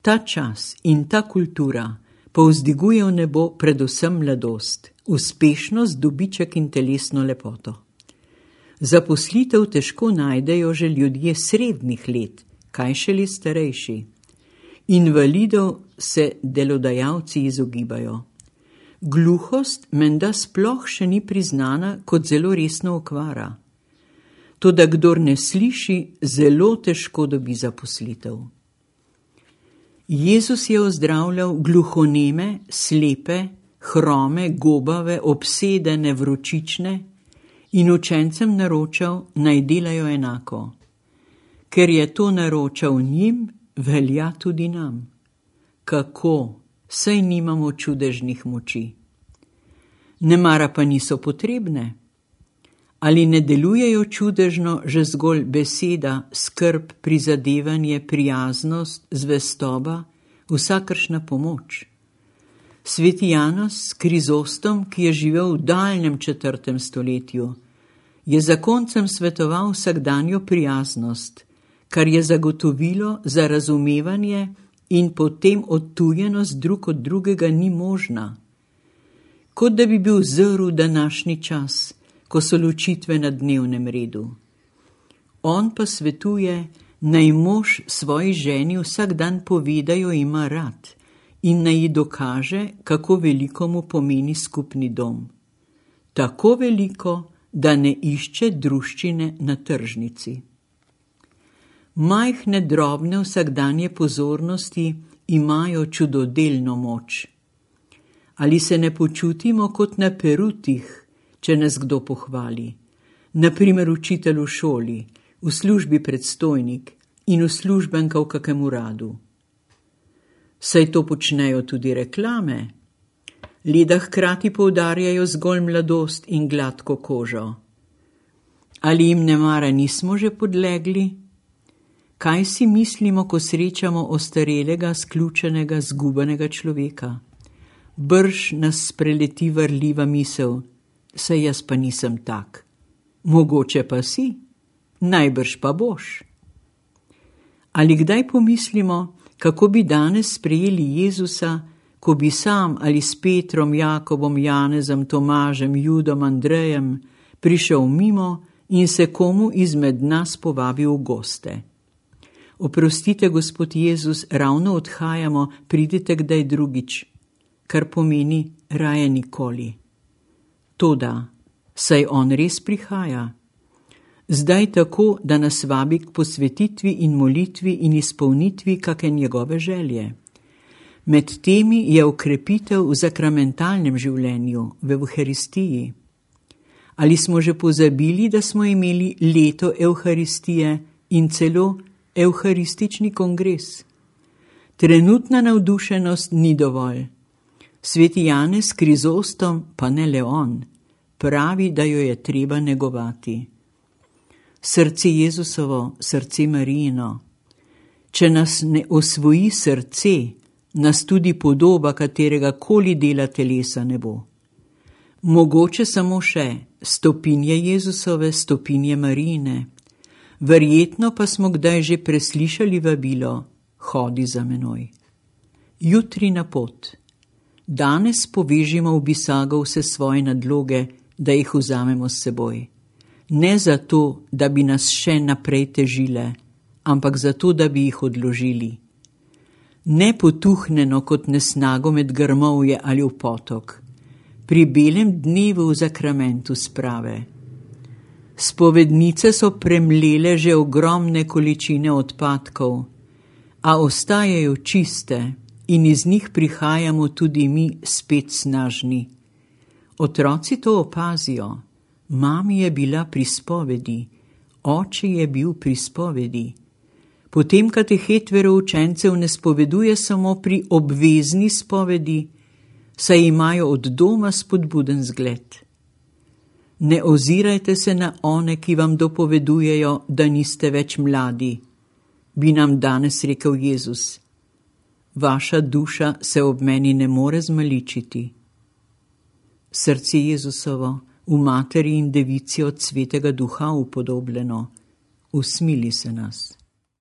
Ta čas in ta kultura povzdiguje v nebo predvsem mladost, uspešnost, dobiček in telesno lepoto. Zaposlitev težko najdejo že ljudje srednjih let, kaj šele starejši. Invalidov se delodajalci izogibajo. Gluhost menda sploh še ni priznana kot zelo resna okvara. Toda kdor ne sliši, zelo težko dobi zaposlitev. Jezus je ozdravljal gluhoneme, slepe, hrome, gobave, obsedene, vročične in učencem naročal, naj delajo enako. Ker je to naročal njim, velja tudi nam. Kako? Saj nimamo čudežnih moči. Nemara pa niso potrebne. Ali ne delujejo čudežno že zgolj beseda, skrb, prizadevanje, prijaznost, zvestoba, vsakršna pomoč? Sveti Janez Krizostom, ki je živel v daljnem 4. stoletju, je zakoncem svetoval vsakdanjo prijaznost, kar je zagotovilo za razumevanje in potem odtujenost drug od drugega ni možna. Kot da bi bil zrl današnji čas, ko so ločitve na dnevnem redu. On pa svetuje, naj mož svoji ženi vsak dan pove, da jo ima rad in naj ji dokaže, kako veliko mu pomeni skupni dom. Tako veliko, da ne išče druščine na tržnici. Majhne, drobne vsakdanje pozornosti imajo čudodelno moč. Ali se ne počutimo kot na perutih, če nas kdo pohvali, naprimer učitelj v šoli, v službi predstojnik in uslužbenka v kakem uradu? Saj to počnejo tudi reklame, le da hkrati poudarjajo zgolj mladost in gladko kožo. Ali jim nemara nismo že podlegli? Kaj si mislimo, ko srečamo ostarelega, sključenega, zgubanega človeka? Brž nas spreleti varljiva misel, saj jaz pa nisem tak. Mogoče pa si, najbrž pa boš. Ali kdaj pomislimo, kako bi danes sprejeli Jezusa, ko bi sam ali s Petrom, Jakobom, Janezom, Tomažem, Judom, Andrejem prišel mimo in se komu izmed nas povabil v goste? Oprostite, Gospod Jezus, ravno odhajamo, pridite kdaj drugič, kar pomeni raje nikoli. Toda, saj on res prihaja. Zdaj tako, da nas vabi k posvetitvi in molitvi in izpolnitvi kake njegove želje. Med temi je okrepitev v sakramentalnem življenju, v Evharistiji. Ali smo že pozabili, da smo imeli leto Evharistije in celo Evharistični kongres? Trenutna navdušenost ni dovolj. Sveti Janez Krizostom, pa ne le on, pravi, da jo je treba negovati. Srce Jezusovo, srce Marijino. Če nas ne osvoji srce, nas tudi podoba katerega koli dela telesa ne bo. Mogoče samo še stopinje Jezusove, stopinje Marijine. Verjetno pa smo kdaj že preslišali vabilo, hodi za menoj. Jutri na pot. Danes povežimo v bisago vse svoje nadloge, da jih vzamemo s seboj. Ne zato, da bi nas še naprej težile, ampak zato, da bi jih odložili. Ne potuhneno kot nesnago med grmovje ali v potok, pri belem dnevu v zakramentu sprave. Spovednice so premlele že ogromne količine odpadkov, a ostajajo čiste in iz njih prihajamo tudi mi spet snažni. Otroci to opazijo. Mami je bila pri spovedi, oče je bil pri spovedi. Potem katehet veroučencev ne spoveduje samo pri obvezni spovedi, saj imajo od doma spodbuden zgled. Ne ozirajte se na one, ki vam dopovedujejo, da niste več mladi, bi nam danes rekel Jezus. Vaša duša se ob meni ne more zmaličiti. Srce Jezusovo, v materi in devici od Svetega Duha upodobljeno, usmili se nas.